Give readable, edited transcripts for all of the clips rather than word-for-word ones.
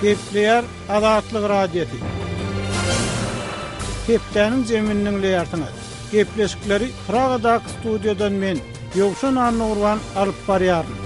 Gepleýär Azatlyk Radiosy. Hepdäniň jemini diňleýärsiňiz. Gepleşikleri Pragadaky studiýadan men, Ýowşan Annagurban alyp barýaryn.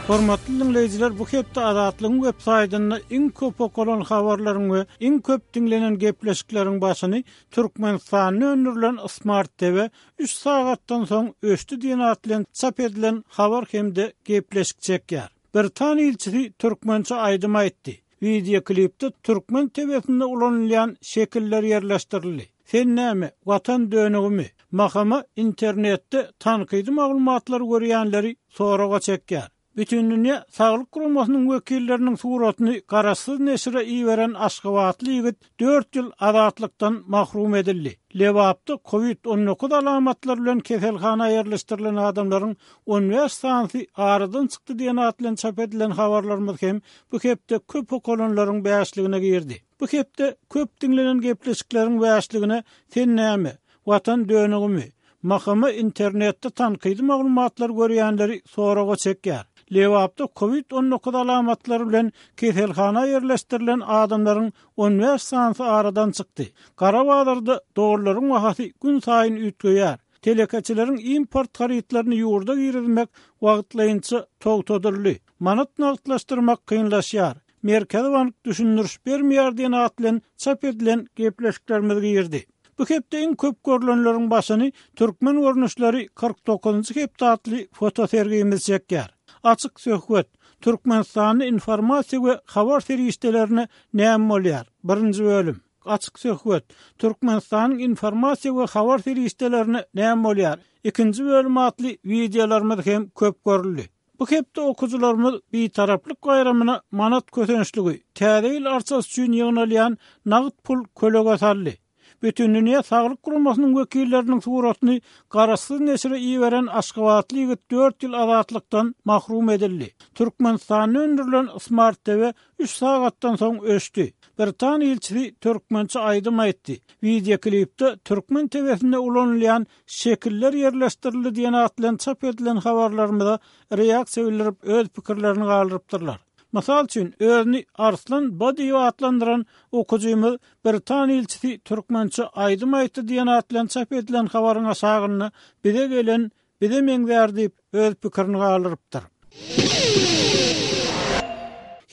Hormatly diňleýjiler, bu hepde Azatlygyň web saýtynda iň köp okalan habarlaryň we iň köp diňlenen gepleşikleriň başyny Türkmenistanda öndürilen Smart TV üç sagatdan soň öçdi diýen at bilen çap edilen habar hem-de gepleşik çekýär. Britan ilçisi türkmençe aýdym aýtdy. Wideoklipde türkmen TW-sinde ulanylýan şekiller ýerleşdirildi. Sen näme, Watan dönügimi? Mahama internetde tankydy maglumatlary görýänleri soraga çekýär. Bütindünýä Saglyk Guramasynyň wekilleriniň suratyny garaşsyz neşire iberen aşgabatly ýigit dört ýyl azatlykdan mahrum edildi. Lebapda kowid 19 alamatlary bilen keselhana ýerleşdirilen adamlaryň 15 sanysy aradan çykdy diýen at bilen çap edilen habarlarymyz hem bu hepde köp okalanlaryň bäşligine girdi. Bu hepde köp diňlenen gepleşikleriň bäşligine Sen näme, Watan dönügimi? MHM internetde tankydy maglumatlary görýänleri soraga çekýär. Lebapda kowid 19 alamatlary bilen keselhana ýerleşdirilen adamlaryň 15 sanysy aradan çykdy. Gara bazarda dollaryň bahasy günsaýyn üýtgeýär. Telekeçileriň import harytlaryny ýurda girizmek wagtlaýynça togtadyldy. Manat nagtlaşdyrmak kynlaşýar. Merkezi bank düşündiriş bermeýär diýen at bilen çap edilen gepleşiklerimiz girdi. Bu hepde iň köp görlenleriň başyny Türkmen görnüşleri 49-njy hepde atly fotosergimiz çekýär. Açyk söhbet, Türkmenistanda informasiýa we habar serişdelerine näme bolýar? Birinji bölüm. Açyk söhbet, Türkmenistanyň informasiýa we habar serişdelerine näme bolýar? Ikinji bölüm atly wideolarymyz hem köp görüldi. Bu hepde okyjylarymyz Bitaraplyk baýramyna manat kösençligi, Täze ýyl arçasy üçin ýygnalýan nagt pul kölege saldy. Bütindünýä Saglyk Guramasynyň wekilleriniň suratyny garaşsyz neşire iberen aşgabatly ýigit dört ýyl azatlykdan mahrum edildi. Türkmenistanda öndürilen Smart TV üç sagatdan soň öçdi. Britan ilçisi türkmençe aýdym aýtdy. Wideoklipde türkmen TW-sinde ulanylýan Şekiller ýerleşdirildi diýen at bilen çap edilen habarlarymyza reaksiýa bildirip öz pikirlerini galdyrypdyrlar. Mysal üçin, özüni Arslan B diýip atlandyran okyjymyz Britan ilçisi türkmençe aýdym aýtdy diýen at bilen çap edilen habaryň aşagynda bize gelen bize meňzär diýip öz pikirini galdyrypdyr.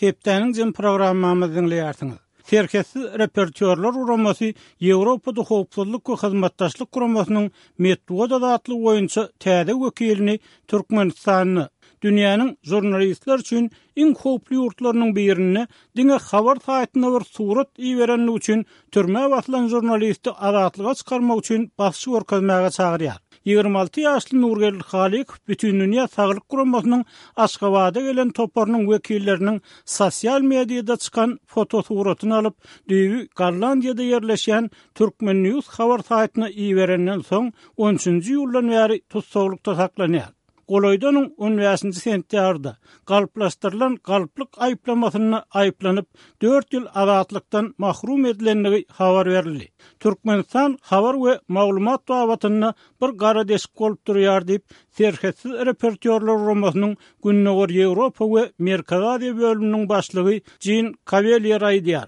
Hepdäniň jem programmamyzy diňleýärsiňiz. Serhetsiz reportýorlar guramasy Ýewropada Howpsuzlyk we Hyzmatdaşlyk Guramasynyň metbugat azatlygy boýunça täze wekilini Türkmenistanda, dünýäniň žurnalistler üçin iň howply ýurtlarynyň birinde diňe habar saýtyna bir surat iberenligi üçin türmä basylan žurnalisti azatlyga çykarmak üçin basyş görkezmäge çagyrýar. 26 ýaşly Nurgeldi Halykow Bütindünýä Saglyk Guramasynyň Aşgabada gelen toparynyň wekilleriniň sosial mediada çykan fotosuratyny alyp, düýbi Gollandiýada ýerleşýän Turkmen News habar saýtyna iberenden soň, on üçünji iýuldan bäri tussaglykda saklanýar. Golaýda onuň on bäşinji sentýabrda galplaşdyrylan galplyk aýyplamasynda aýyplanyp, dört ýyl azatlykdan mahrum edilendigi habar berildi. Türkmenistan habar we maglumat babatynda bir gara deşik bolup durýar diýip, Serhetsiz reportýorlar guramasynyň Gündogar Ýewropa we Merkezi Aziýa bölüminiň başlygy Jin Kawelýer aýdýar.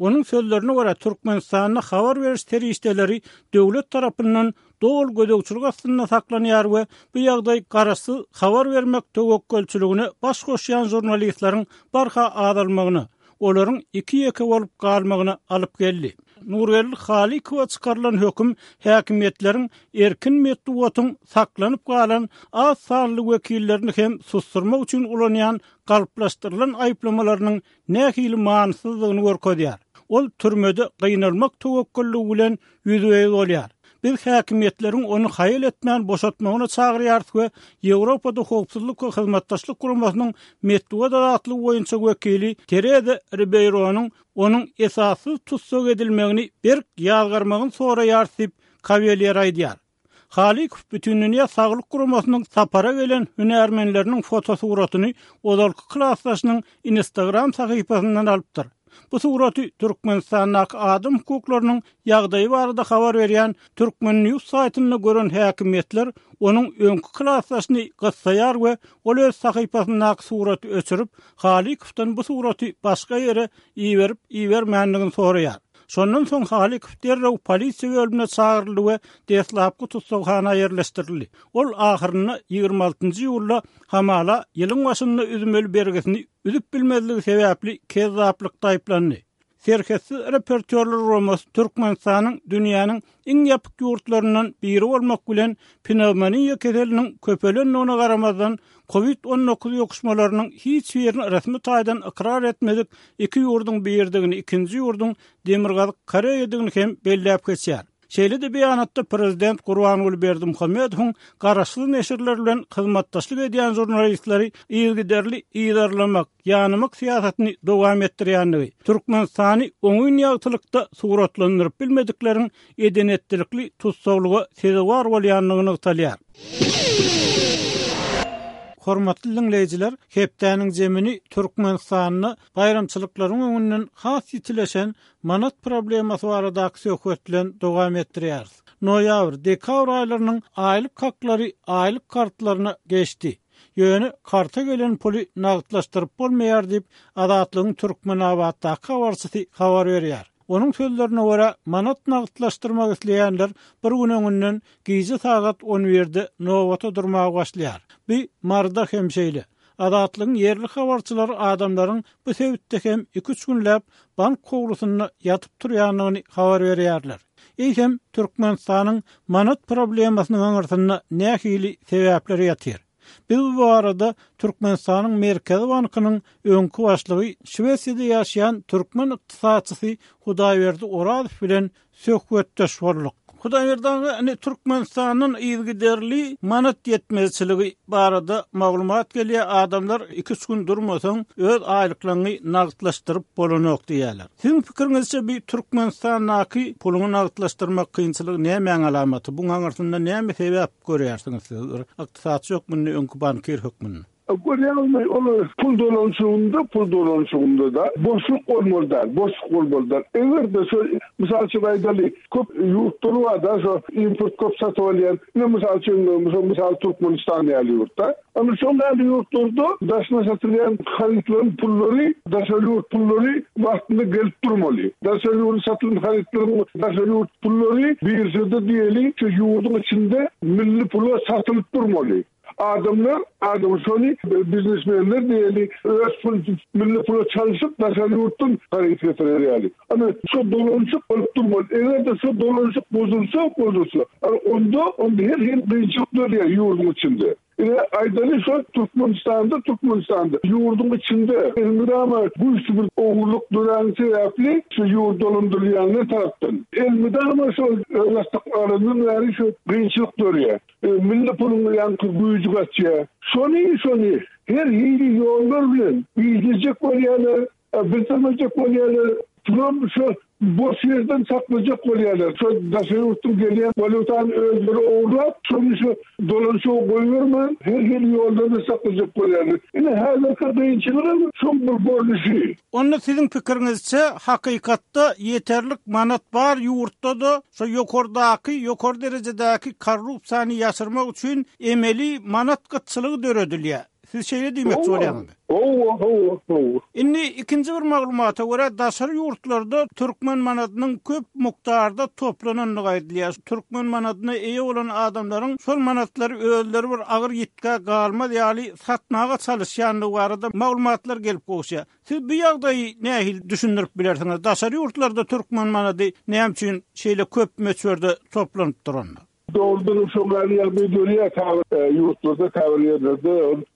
Onuň sözlerine görä, Türkmenistanda habar beriş serişdeleri döwlet tarapyndan doly gözegçilik astynda saklanýar we bu ýagdaý garaşsyz habar bermek töwekgelçiligine baş goşýan žurnalistleriň barha azalmagyna, olaryň iki-ýeke bolup galmagyna alyp geldi. Nurgeldi Halykowa çykarylan höküm häkimiýetleriň erkin metbugatyň saklanyp galan az sanly wekillerini hem susdurmak üçin ulanýan galplaşdyrylan aýyplamalarynyň nähili manysyzdygyny görkezýär. Ol türmede gynalmak töwekgelligi bilen ýüzbe-ýüz bolýar. Biz häkimiýetleriň ony haýal etmän boşatmagyna çagyrýarys we Ýewropada Howpsuzlyk we Hyzmatdaşlyk Guramasynyň metbugat azatlygy boýunça wekili Tereza Ribeýronyň onuň esassyz tussag edilmegini berk ýazgarmagyny soraýarys diýip, Kawelýer aýdýar. Halykow Bütindünýä Saglyk Guramasynyň sapara gelen hünärmenleriniň fotosuratyny ozalky klasdaşynyň Instagram sahypasyndan alypdyr. Bu suraty Türkmenistandaky adam hukuklarynyň ýagdaýy barada habar berýän Turkmen. News saýtynda gören häkimiýetler onuň öňki klasdaşyny gyssaýar we ol öz sahypasyndaky suraty öçürip, Halykowdan bu suraty başga ýere iberip-ibermändigini soraýar. Şondan soň Halykow derrew polisiýa bölümine çagyryldy we deslapky tussaghana ýerleşdirildi. Ol ahyrynda 26-njy iýulda hamala ýylyň başynda üzmeli bergisini üzüp bilmezligi sebäpli kezzaplykda aýyplandy. Serhetsiz reportýorlar guramasy Türkmenistanyň dünýäniň iň ýapyk ýurtlaryndan biri bolmak bilen pnewmoniýa keseliniň köpelendigine garamazdan, Covid 19 ýokuşmalarynyň hiç birini resmi taýdan ykrar etmedik iki ýurduň biridigini, ikinji ýurduň Demirgazyk Koreýadygyny hem belläp geçýär. Şeýle-de beýanatda prezident Gurbanguly Berdimuhamedowyň garaşsyz neşirler bilen hyzmatdaşlyk edýän žurnalistleri yzygiderli yzarlamak, ýanamak syýasatyny dowam etdirýändigi, Türkmenistany oňyn ýagtylykda suratlandyryp bilmedikleriň eden-etdilikli tussaglyga sezewar bolýandygy nygtalýar. Hormatly diňleýjiler, hepdäniň jemini Türkmenistanda baýramçylyklaryň öňünden has ýitileşen Manat problemasy baradaky söhbet bilen dowam etdirýäris. Noýabr, dekabr aýlarynyň aýlyk haklary aýlyk kartlaryna geçdi. Ýöne karta gelen puly nagtlaşdyryp bolmaýar diýip, Azatlygyň Türkmenabatdaky habarçysy habar berýär. Onuň sözlerine görä, manat nagtlaşdyrmak isleýänler bir gün öňünden gije sagat on birde nobata durmaga başlaýar. Bu Maryda hem şeýle. Azatlygyň ýerli habarçylary adamlaryň bu sebitde hem iki-üç günläp bank howlusynda ýatyp turýandygyny habar berýärler. Eýsem, Türkmenistanyň manat problemasynyň aňyrsynda nähili sebäpler ýatyr? Biz bu barada Türkmenistanyň Merkezi bankynyň öňki başlygy, Şwesiýada ýaşaýan türkmen ykdysatçysy Hudaýberdi Orazow bilen söhbetdeş bolduk. Hudaýberdi aga, indi Türkmenistandan yzygiderli manat ýetmezçiligi barada maglumat gelýär, adamlar iki-üç gün durmasaň, öz aýlyklaryňy nagtlaşdyryp bolanok diýýärler. Siziň pikiriňizçe bi Türkmenistandaky puluňy nagtlaşdyrmak kynçylygy nämäň alamaty? Buň aňyrsynda näme sebäp görýärsiňiz siz bir ykdysatçy hökmünde, öňki bankir hökmünde? Görýäňizmi, ol pul dolanyşygynda, pul dolanyşygynda-da boşluk bolmaly däl, boşluk bolmaly däl. Eger-de şo, mysal üçin aýdaly, köp ýurtlar bar-da, şo import köp satyp alýan, ine mysal üçin, mysal Türkmenistan ýaly ýurt-da. Ana şol ýaly ýurtlarda daşyna satylýan harytlaryň pullary, daşary ýurt pullary wagtynda gelip durmaly. Daşary ýurda satylan harytlaryň daşary ýurt pullary biržada diýeli, şu ýurduň içinde milli pula satylyp durmaly. Adamlar, adam şony biznesmenler diýeli, öz pul, milli pula çalşyp daşary ýurtdan haryt getirer ýaly. Ana, şo dolanyşyk bolup durmaly. Eger-de şo dolanyşyk bozulsa, bozulsa, ana onda, onda her hili kynçylyk dörýär ýurduň içinde. Ine, aýdaly şo Türkmenistanda, Türkmenistanda ýurduň içinde elmydama güýçli bir ogurlyk döräni sebäpli şu ýurt dolandyrylýanlar tarapdan elmydama şol özbaşdak alandan bäri şu kynçylyk dörýär. Milli puluň ýaňky güýji gaçýar. Şony, şony her hili ýollar bilen gizlejek bolýarlar, bildirmejek bolýarlar. Pulam şo boş ýerden saklajak bolýarlar. Şo daşary ýurtdan gelýän walýutany özleri ogurlap, şony şo dolanyşyga goýbermän, her hili ýollar bilen saklajak bolýarlar. Ine, häzirki kynçylygam şoň bir görnüşi. Onda siziň pikiriňizçe, hakykatda ýeterlik manat bar ýurtda-da Şo ýokardaky, ýokary derejedäki korrupsiýany ýaşyrmak üçin emeli manat gytçylygy döredilýär. Siz şeýle diýmekçi bolýaňyzmy? Hawa, hawa, hawa. Indi ikinji bir maglumata görä, daşary ýurtlarda türkmen manadynyň köp mukdarda toplanandygy aýdylýar. Türkmen manadyna eýe bolan adamlaryň şol manatlary özleri bir agyr ýitgä galmaz ýaly satmaga çalyşýandygy barada maglumatlar gelip gowuşýar. Siz bu ýagdaýy nähili düşündirip bilersiňiz? Daşary ýurtlarda türkmen manady näme üçin şeýle köp möçberde toplanyp duranda? Dogrudanam şoň ýaly ýagdaý dörýär käbir ýurtlarda, käbir ýerlerde.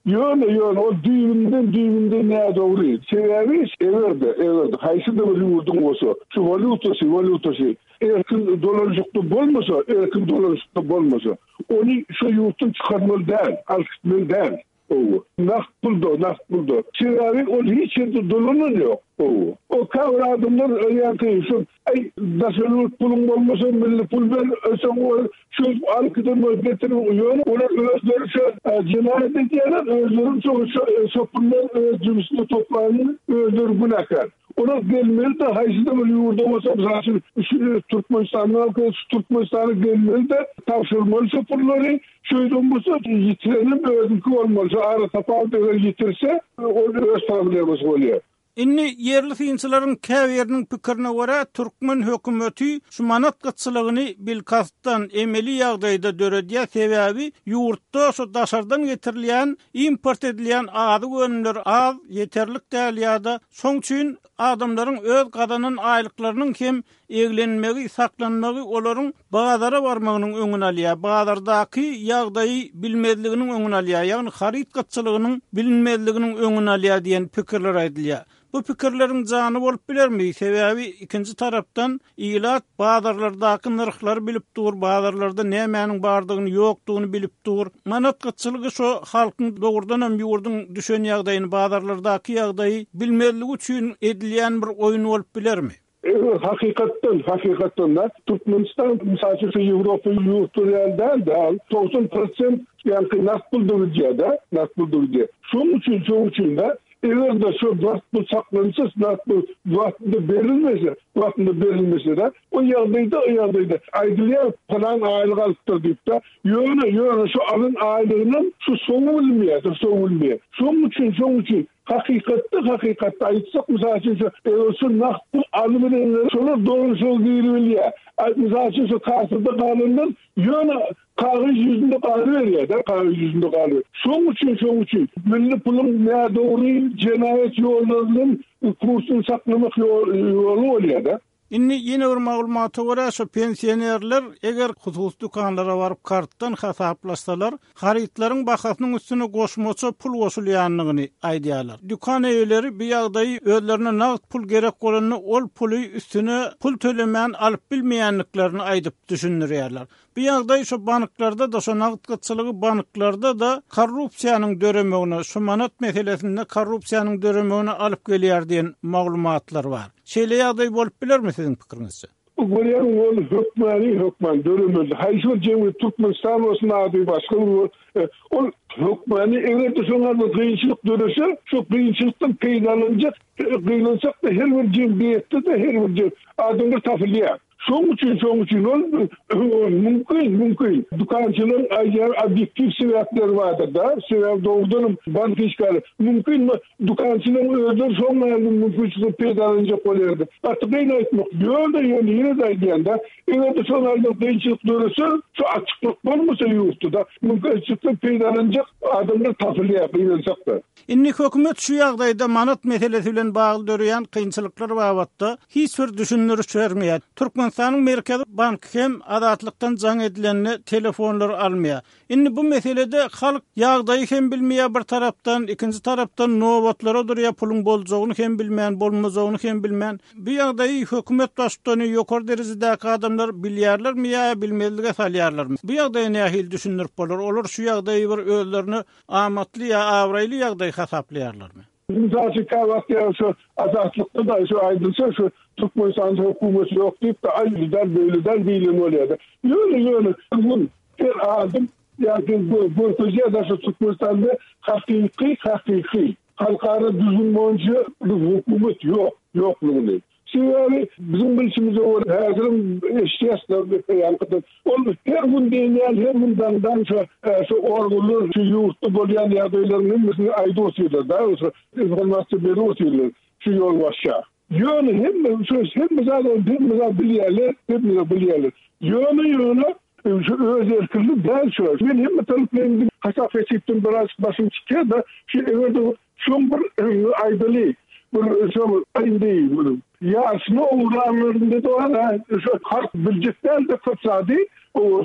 Ýöne, ýöne ol düýbünden, düýbünden nädogry. Sebäbi eger-de, eger-de haýsy-da bir ýurduň bolsa, şu walýutasy, walýutasy erkin dolanyşykda bolmasa, erkin dolanyşykda bolmasa, ony şo ýurtdan çykarmaly däl, alyp gitmeli däl. Hawa. Nagt pulda, nagt pulda. Sebäbi ol hiç ýerde dolanan ýok. Hawa. O käbir adamlar ýaňky şol aý daşary ýurt puluň bolmasa milli pul ber, soň ol şol alyp giden bolup getirip ýöne olar özleri şo jenaýat edýärler, özleri şo şo pullar öz jübüsine toplanyny özleri günäkär. Olar gelmeli-de, haýsy-da bir ýurda bolsa, mysal üçin, şu Türkmenistanda bolsa, şu Türkmenistana gelmeli-de, tabşyrmaly şo pullary. Şeýden bolsa, ýitirenem özüňki bolmaly. Şo aratapawut eger ýitirse, ol öz problemasy bolýar. Indi ýerli synçylaryň käbiriniň pikirine görä, türkmen hökümeti şu manat gytçylygyny bilkastdan, emeli ýagdaýda döredýär, sebäbi ýurtda şu daşardan getirilýän, import edilýän azyk önümleri az, ýeterlik däl ýa-da şoň üçin adamlaryň öz gazanan aýlyklarynyň hem eglenmegi, saklanmagy olaryň bazara barmagynyň öňüni alýar, bazardaky ýagdaýy bilmezliginiň öňüni alýar, ýagny haryt gytçylygynyň bilinmezliginiň öňüni alýar diýen pikirler aýdylýar. Bu pikirleriň jany bolup bilermi? Sebäbi ikinji tarapdan ilat bazarlardaky nyrhlary bilip dur, bazarlarda nämäniň bardygyny, ýokdugyny bilip dur. Manat gytçylygy şo halkyň dogrudanam ýurduň düşen ýagdaýyny, bazarlardaky ýagdaýy bilmezligi üçin edilýän bir oýun bolup bilermi? Eger hakykatdan, hakykatdan-da Türkmenistan, mysal üçin, şu Ýewropa ýurtlary ýaly däl-de, al 90 prosent ýaňky nagt pulda gidýär-de, nagt pulda gidýär. Şonuň üçin, şonuň üçin-de, eger-de şu nagt pul saklansa, nagt pul wagtynda berilmese, wagtynda berilmese-de, o ýagdaýda, o ýagdaýda aýdylýar, pylan aýlyk alypdyr diýip-de, ýöne, ýöne şu alan aýlygynam şu soňy bilinmeýär, soňy bilinmeýär. Şonuň üçin, şonuň üçin Hakykatda, hakykatda aýtsak, mysal üçin, şu eger şu nagt pul alybilenler, şolar dogry şol giribilýär. A mysal üçin, şu kassada galanlar ýöne kagyz ýüzünde galyberýär-de, kagyz ýüzünde galyberýär. Şoň üçin, şoň üçin milli puluň nädogry jenaýat ýollary bilen kursuny saklamak ýoly bolýar-da. Indi ýene bir maglumata görä, şu pensionerler eger hususy dükanlara baryp kartdan hasaplaşsalar, harytlaryň bahasynyň üstüne goşmaça pul goşulýandygyny aýdýarlar. Dükan eýeleri bu ýagdaýy özlerine nagt pul gerek bolanda ol puly üstüne pul tölemän alyp bilmeýändiklerini aýdyp düşündirýärler. Bu ýagdaý şu banklarda-da, şu nagt gytçylygy banklarda-da korrupsiýanyň döremegine, şu manat meselesinde korrupsiýanyň döremegine alyp gelýär diýen maglumatlar bar. Şeýle ýagdaý bolup bilermi siziň pikiriňizçe? Görýäň ol hökmany hökman döremeli. Haýsy bir jemgyýet Türkmenistan bolsun ady başga bir ol hökmany eger-de şoňa bir kynçylyk dörese şo kynçylykdan peýdalanjak gynansak-da her bir jemgyýetde-de her bir adamlar tapylýar. Şoň üçin, şoň üçin ol mümkin, mümkin. Dükançylaryň aýdýan obýektiw sebäpleri bardyr-da. Sebäbi dogrudanam bank işgäri mümkin dükançylaryň özleri şoň ýaly mümkinçilikden peýdalanjak bolýardy. Gaty kyn aýtmak. Ýöne, ýöne ýene-de aýdýan-da, eger-de şoň ýaly bir kynçylyk dörese, şu açyklyk bolmasa ýurtda-da, mümkinçilikden peýdalanjak adamlar tapylýar, gynansak-da. Indi hökümet şu ýagdaýda manat meselesi bilen bagly döreýän kynçylyklar babatda hiç bir düşündiriş bermeýär. Türkmenistanyň Merkezi banky hem Azatlykdan jaň edilende telefonlary almaýar. Indi bu meselede halk ýagdaýy hem bilmeýär bir tarapdan, ikinji tarapdan nobatlara durýar puluň boljagyny hem bilmän, bolmajagyny hem bilmän. Bu ýagdaýy hökümet baştutany ýokary derejedäki adamlar bilýärlermi ýa bilmezlige salýarlarmy? Bu ýagdaýy nähili düşündirip bolar? Olar şu ýagdaýy bir özlerine Amatly ýa abraýly ýagdaý hasaplaýarlarmy? Mysal üçin, käwagt ýa şu Azatlykda-da şu aýdylsa, şu Türkmenistanda hökümet ýok diýip-de, aý beýle däl, beýle däl diýlen bolýar-da. Ýöne, ýöne her gün, her adam ýa görkezýär-de şu Türkmenistanda hakyky, hakyky halkara düzgün boýunça bir hökümet ýok, ýoklugyny. Sebäbi biziň bilşimize görä häzirem eşidýäs-de ýaňkydan. Ol her gün diýen ýaly her gün daňdan şo şo organlar şu ýurtda bolýan ýagdaýlaryň hemmesini aýdyp otyrlar-da, şo informasiýa berip otyrlar şu ýolbaşça. Ýöne hemme şo hemme zat ol hemme zat bilýärler, hemme zat bilýärler. Ýöne ýöne şu öz erkinlik däl şu. Men hemme taraplaýyn hasap-hesipden biraz başym çykýar-da, şu eger-de Şoň bir aýdaly, bir şoň indi ýaşyny oglanlarynda da bar, şo halk biljek däl-de köp zady,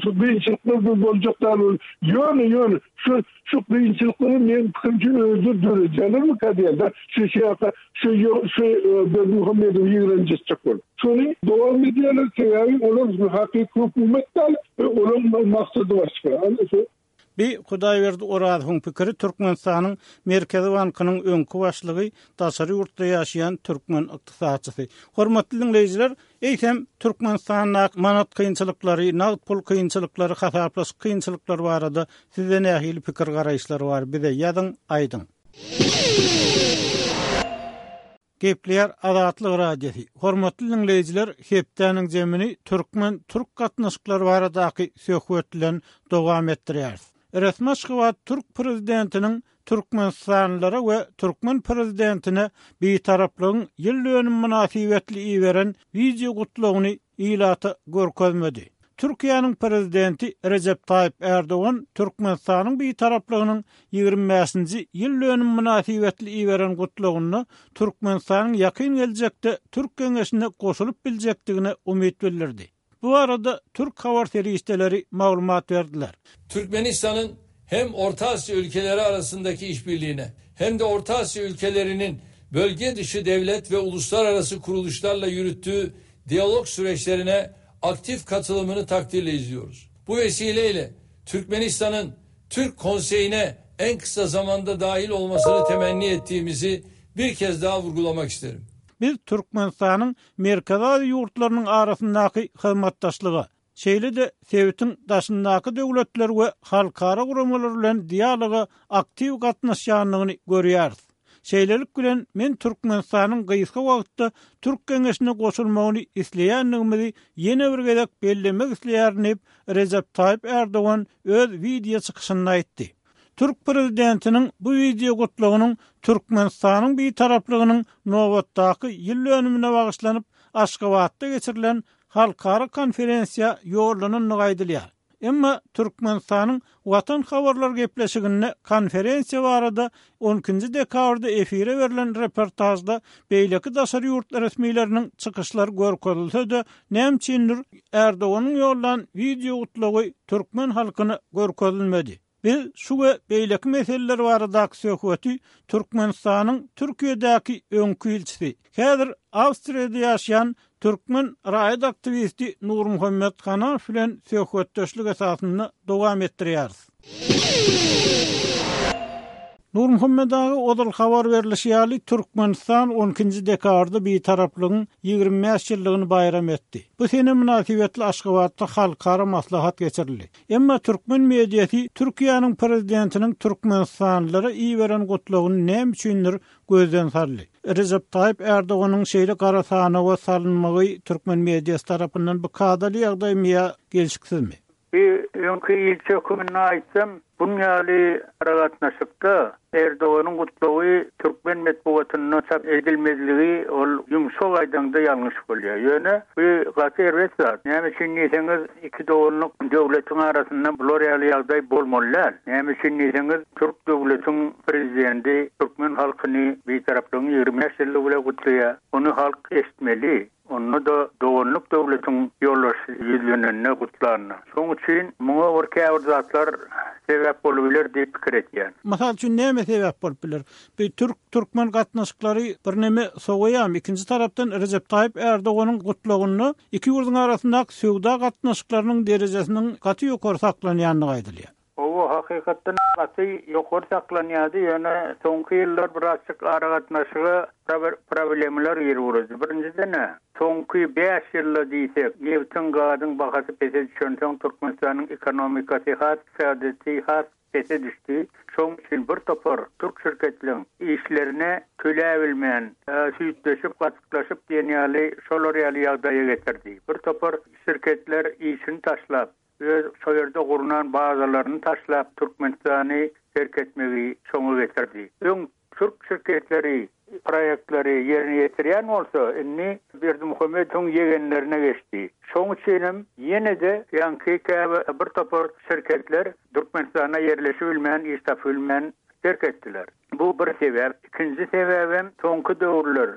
şu kynçylyklar bir boljak däl ol. Ýöne, ýöne şu şu kynçylyklary meň pikirimçe özleri döredýärlermikä diýen-de, şu şeýle şu şu Berdimuhamedowy ýigrenjetjek bolup. Şony dowam edýärler, sebäbi olar hakyky hökümet däl, olaryň maksady başga. Ana şu Bi Hudaýberdi Orazowyň pikiri Türkmenistanyň Merkezi bankynyň öňki başlygy, daşary ýurtda ýaşaýan türkmen ykdysatçysy. Hormatly diňleýjiler, eýsem, Türkmenistandaky manat kynçylyklary, nagt pul kynçylyklary, hasaplaşyk kynçylyklary barada sizde nähili pikir-garaýyşlar bar, bize ýazyň, aýdyň. Gepleýär Azatlyk Radiosy. Hormatly diňleýjiler, hepdäniň jemini türkmen-türk gatnaşyklary baradaky söhbet bilen dowam etdirýäris. Resmi Aşgabat türk prezidentiniň türkmenistanlylara we türkmen prezidentine Bitaraplygyň ýyl dönümi mynasybetli iberen wideo gutlagyny ilata görkezmedi. Türkiýäniň Prezidenti Rejep Taýyp Ärdogan Türkmenistanyň Bitaraplygynyň 25-nji ýyl dönümi mynasybetli iberen gutlagynda Türkmenistanyň ýakyn geljekde Türk Geňeşine goşulyp biljekdigine umyt bildirdi. Bu barada türk habar serişdeleri maglumat berdiler. Türkmenistanyň hem Orta Asya ülkeleri arasındaki işbirliğine hem de Orta Asya ülkelerinin bölge dışı devlet ve uluslararası kuruluşlarla yürüttüğü diyalog süreçlerine aktif katılımını takdirle izliyoruz. Bu vesileyle Türkmenistan'ın Türk Konseyi'ne en kısa zamanda dahil olmasını temenni ettiğimizi bir kez daha vurgulamak isterim. Biz Türkmenistanyň Merkezi Aziýa ýurtlarynyň arasyndaky hyzmatdaşlyga, şeýle-de sebitiň daşyndaky döwletler we halkara guramalar bilen dialoga aktiw gatnaşýandygyny görýäris. Şeýlelik bilen, men Türkmenistanyň gysga wagtda Türk Geňeşine goşulmagyny isleýändigimizi ýene bir gezek bellemek isleýärin diýip, Rejep Taýyp Ärdogan öz wideo çykyşynda aýtdy. Türk prezidentiniň bu wideo gutlagynyň Türkmenistanyň Bitaraplygynyň nobatdaky ýyl dönümine bagyşlanyp, Aşgabatda geçirilen halkara konferensiýa ýollanandygy aýdylýar. Emma Türkmenistanyň Watan habarlar gepleşiginde konferensiýa barada on ikinji dekabrda efire berlen reportažda beýleki daşary ýurt resmileriniň çykyşlary görkezilse-de, näme üçindir Erdoganyň ýollan wideo gutlagy türkmen halkyna görkezilmedi. Biz şu we beýleki meseleler baradaky söhbeti Türkmenistanyň Türkiýedäki öňki ilçisi, häzir Awstriýada ýaşaýan türkmen raýat aktiwisti Nurmuhammet Hanamow bilen söhbetdeşlik esasynda dowam etdirýäris. Nurmuhammet aga, ozal habar berlişi ýaly, Türkmenistan on ikinji dekabrda Bitaraplygyň 25 ýyllygyny baýram etdi. Bu sene mynasybetli Aşgabatda halkara maslahat geçirildi. Emma türkmen mediasy Türkiýäniň prezidentiniň türkmenistanlylara iberen gutlagyny näme üçindir gözden saldy. Rejep Taýyp Ärdoganyň şeýle gara sanawa salynmagy türkmen mediasy tarapyndan bu kadaly ýagdaýmy ýa gelşiksizmi? Bir öňki ilçi höküminde aýtsam, buň ýaly aragatnaşykda Erdoganyň gutlagy türkmen metbugatynda çap edilmezligi ol ýumşak aýdaňda ýalňyş bolýar. Ýöne bu gaty erbet zat. Näme üçin diýseňiz, iki doganlyk döwletiň arasynda bular ýaly ýagdaý bolmaly däl. Näme üçin diýseňiz, türk döwletiň prezidenti türkmen halkyny Bitaraplygyň 25 ýyllygy bilen gutlaýar. Ony halk eşitmeli. Onda-da doganlyk döwletiň ýolbaşçysy ýüzlenende, gutlanda. Şonuň üçin muňa bir käbir zatlar sebäp bolubiler diýip pikir etýän. Mysal üçin näme sebäp bolup biler? Bu türk-türkmen gatnaşyklary birneme sowaýarmy? Ikinji tarapdan Rejep Taýyp Ärdoganyň gutlagynda iki ýurduň arasyndaky söwda gatnaşyklarynyň derejesiniň gaty ýokary saklanýandygy aýdylýar. Hawa, hakykatdan gaty ýokary saklanýardy, ýöne soňky ýyllar birazjyk aragatnaşyga problemler girip ugrady. Birinjiden-ä, soňky bäş ýylda diýsek, nebtiň, gazyň bahasy pese düşensoň, Türkmenistanyň ekonomikasy has, ykdysadyýeti has pese düşdi. Şonuň üçin bir topar türk şirketleň işlerine töläbilmän, süýtleşip, gatyklaşyp diýen ýaly şolar ýaly ýagdaýa getirdi. Bir topar şirketler işini taşlap, öz şo ýerde gurnan bazalaryny taşlap Türkmenistany terk etmegi şoňa getirdi. Öň türk şirketleri proýektleri ýerine ýetirýän bolsa, indi Berdimuhamedowyň ýegenlerine geçdi. Şoň üçinem ýene-de ýaňky käbir bir topar şirketler Türkmenistanda ýerleşibilmän, iş tapybilmän terk etdiler. Bu bir sebäp. Ikinji sebäbem soňky döwürler,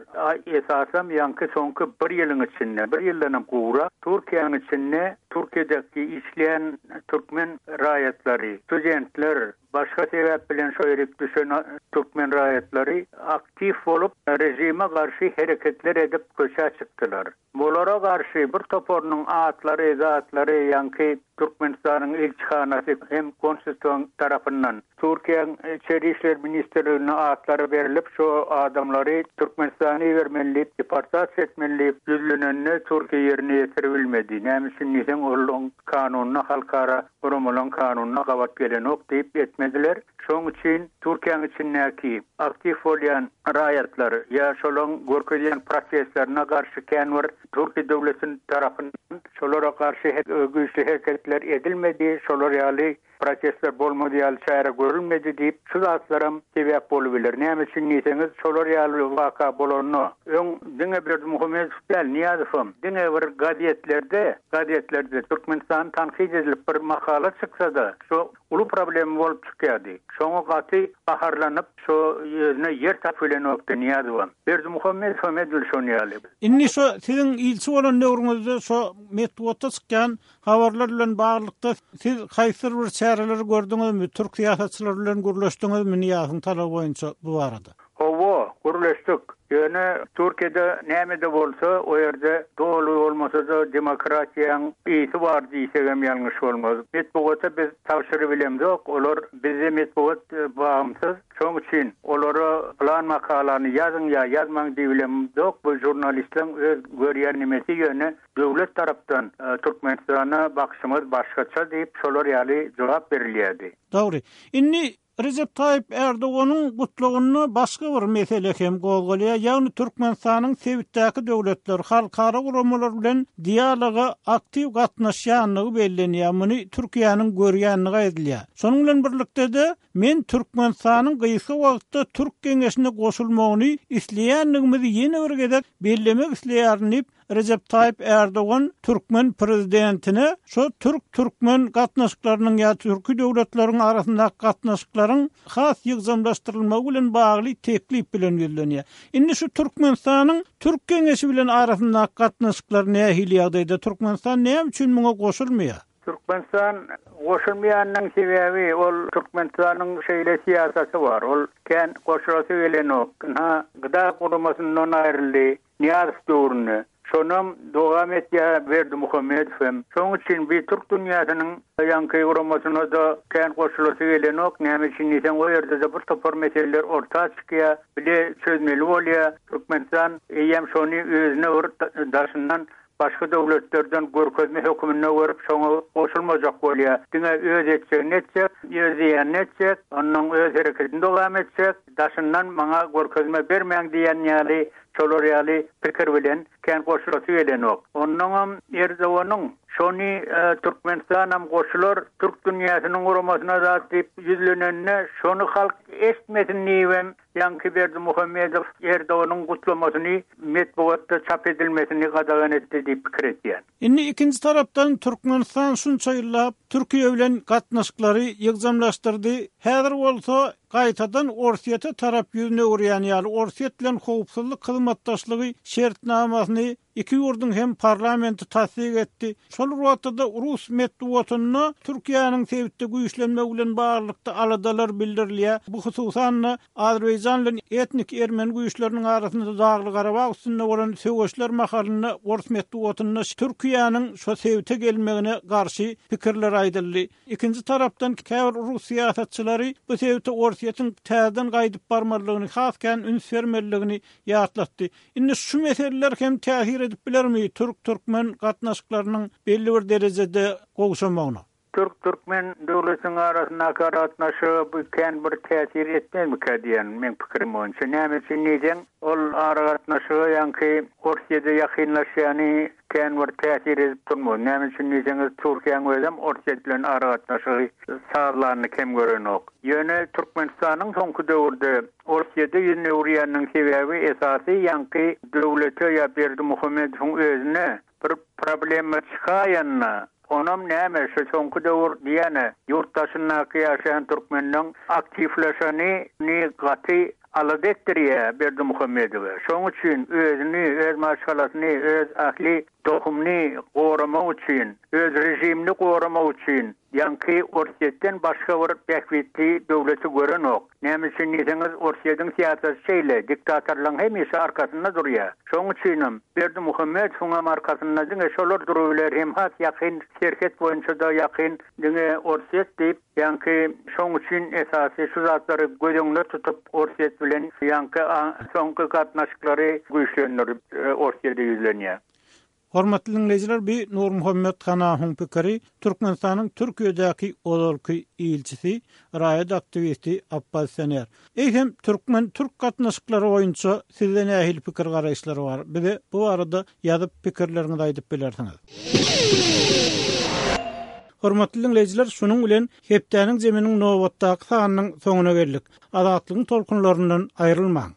esasam ýaňky soňky bir ýylyň içinde, bir ýyldanam gowrak Türkiýäniň içinde Türkiýedäki işleýän türkmen raýatlary, studentler, başga sebäp bilen şo ýerik düşen türkmen raýatlary aktiw bolup režime garşy hereketler edip köçä çykdylar. Bulara garşy bir toparynyň atlary, zatlary ýaňky Türkmenistanyň ilçihanasy hem konsulstwaň tarapyndan Türkiýäň İçeri işler ministrligine atlary berlip şo adamlary Türkmenistana ibermeli diýip deportasiýa etmeli diýip ýüzlenende Türkiýe ýerine ýetiribilmedi. Näme üçin diýseň. olaryň kanunyna halkara guramalaryň kanunyna gabat gelenok diýip etmediler. Şoň üçin Türkiýäň içindäki aktiw bolýan raýatlar ýa şolaryň görkezýän protestlerine garşy kän bir Türkiýe döwleti tarapyndan şolara garşy güýçli hereketler edilmedi, şolar ýaly protestler bolmaz ýaly çäre görülmedi diýip, şu zatlaram sebäp bolubiler. Näme üçin diýseňiz, şolar ýaly waka bolanda, öň diňe Berdimuhamedow däl, Nyýazowam diňe bir gazetlerde, gazetlerde Türkmenistany tankyt edilip bir makala çyksa-da, şu uly problema bolup çykýardy. Şoňa gaty gaharlanyp, şo özüne ýer tapyp bilenokdy Nyýazowam. Berdimuhamedowam edil şon ýaly. Indi şo siziň ilçi bolan döwrüňizde şo metbugatda çykýan Habarlar bilen baglylykda siz haýsydyr bir çäreleri gördüňizmi, türk syýasatçylary bilen gürleşdiňizmi Nyýazowyň talaby boýunça bu barada? Hawa, gürleşdik. Ýöne Türkiýede näme-de bolsa, o ýerde doly bolmasa-da demokratiýaň ysy bar diýsegem ýalňyş bolmaz. Metbugata biz tabşyrybilemzok, olar bizde metbugat bagymsyz. Şoň üçin olara pylan makalany ýazyň ýa ýazmaň diýibilemzok, bu žurnalistleň öz görýän nemesi ýöne Döwlet tarapdan Türkmenistana bakyşymyz başgaça diýip, şolar ýaly jogap berilýärdi. Dogry. Indi Rejep Taýyp Erdoganyň gutlagynda başga bir mesele hem gozgalýar, ýagny Türkmenistanyň sebitdäki döwletler, halkara guramalar bilen dialoga aktiw gatnaşýandygy bellenýär, muny Türkiýäniň görýändigi aýdylýar. Şonuň bilen birlikde-de, men Türkmenistanyň gysga wagtda Türk Geňeşine goşulmagyny isleýändigimizi ýene bir gezek bellemek isleýärin diýip, Rejep Taýyp Ärdogan türkmen prezidentine şo türk-türkmen gatnaşyklarynyň ýa türki döwletleriň arasyndaky gatnaşyklaryň has ýygjamlaşdyrylmagy bilen bagly teklip bilen ýüzlenýär. Indi şu Türkmenistanyň Türk Geňeşi bilen arasyndaky gatnaşyklar nähili ýagdaýda? Türkmenistan näme üçin muňa goşulmaýar? Türkmenistan goşulmaýanynyň sebäbi ol Türkmenistanyň şeýle syýasaty bar. Ol kän goşulasy gelenok. Ynha, Gda guramasyndan aýryldy. Nyýazow döwründe. Şonam dowam etýär Berdimuhamedow hem. Şoň üçin bi türk dünýäsiniň ýaňky guramasyna-da kän goşulasy gelenok. Näme üçin diýseň, o ýerde-de bir topar meseleler orta çykýar, bile çözmeli bolýar. Türkmenistan eýýäm şony özüne bir daşyndan başga döwletlerden görkezme höküminde görüp, şoňa goşulmajak bolýar. Diňe öz etjegini etjek, öz diýenini etjek, onnoň öz hereketini dowam etjek, daşyndan maňa görkezme bermäň diýen ýaly Şolar ýaly pikir bilen kän goşulasy gelenok. Onnoňam Erdoganyň şony Türkmenistanam goşular türk dünýäsiniň guramasyna zat diýip ýüzlenende şony halk eşitmesin diýibem ýaňky Berdimuhamedow Erdoganyň gutlamasyny metbugatda çap edilmesini gadagan etdi diýip pikir edýän. Indi ikinji tarapdan Türkmenistan şunça ýyllap Türkiýe bilen gatnaşyklary ýygjamlaşdyrdy. Häzir bolsa gaýtadan Orsýete tarap ýüzüni öwürýän ýaly, Orsýet bilen howpsuzlyk hyzmatdaşlygy şertnamasyny iki ýurduň hem parlamenti tassyk etdi. Şol bir wagtda-da rus metbugatynda Türkiýäniň sebitde güýçlenmegi bilen baglylykda aladalar bildirilýär. Bu hususan-da, Azerbaýjan bilen etnik ermeni güýçleriniň arasynda Dagly-Garabag üstünde bolan söweşler mahalynda ors metbugatynda Türkiýäniň şo sebite gelmegine garşy pikirler aýdyldy. Ikinji tarapdan, käbir rus syýasatçylary bu sebite Orsýetiň täzeden gaýdyp barmalydygyny, has kän üns bermelidigini ýatlatdy. Indi şu meseleler hem täsir edip bilermi türk-türkmen gatnaşyklarynyň belli bir derejede gowşamagyna? Türk-türkmen döwletiniň arasyndaky aragatnaşyga bu kän bir täsir etmezmikä diýýän, meň pikirim boýunça. Näme üçin diýseň, ol aragatnaşyga ýaňky Orsýede ýakynlaşýany kän bir täsir edip durmaz. Näme üçin diýseňiz, Türkiýäň özem Orsýet bilen aragatnaşygy sazlanyny kem görenok. Ýöne Türkmenistanyň soňky döwürde Orsýede ýüzüni öwürýäniniň sebäbi esasy ýaňky döwlete ýa Berdimuhamedowyň özüne bir problema çykaýanda, onam näme şu soňky döwür diýýän-ä ýurt daşyndaky ýaşaýan türkmenleň aktiwleşeni gaty Alada etdirýär Berdimuhamedowy. Şoň üçin özüni, öz maşgalasyny, öz ähli tohumyny goramak üçin, öz režimini goramak üçin ýaňky Orsýetden başga bir bähbitli döwleti görenok. Näme üçin diýseňiz, Orsýetiň syýasaty şeýle, diktatorlaryň hemişe arkasynda durýar. Şoň üçinem Berdimuhamedowyňam arkasynda diňe şolar durubiler hem has ýakyn serhet boýunça-da ýakyn diňe Orsýet diýip, Ýaňky şoň üçin esasy şu zatlary göz öňünde tutup Orsýet bilen ýaňky soňky gatnaşyklary güýçlendirip Orsýede ýüzlenýär. Hormatly diňleýjiler bi Nurmuhammet Hanahyň pikiri, Türkmenistanyň Türkiýedäki ozalky ilçisi, raýat aktiwisti, oppozisioner. Eýsem türkmen-türk gatnaşyklary boýunça sizde nähili pikir garaýyşlar bar? Bize bu barada ýazyp pikirleriňizi aýdyp bilersiňiz. Hormatly diňleýjiler şunuň bilen hepdäniň zeminiň nobatdaky sanynyň soňuna geldik. Azatlygyň tolkunlaryndan aýrylmaň.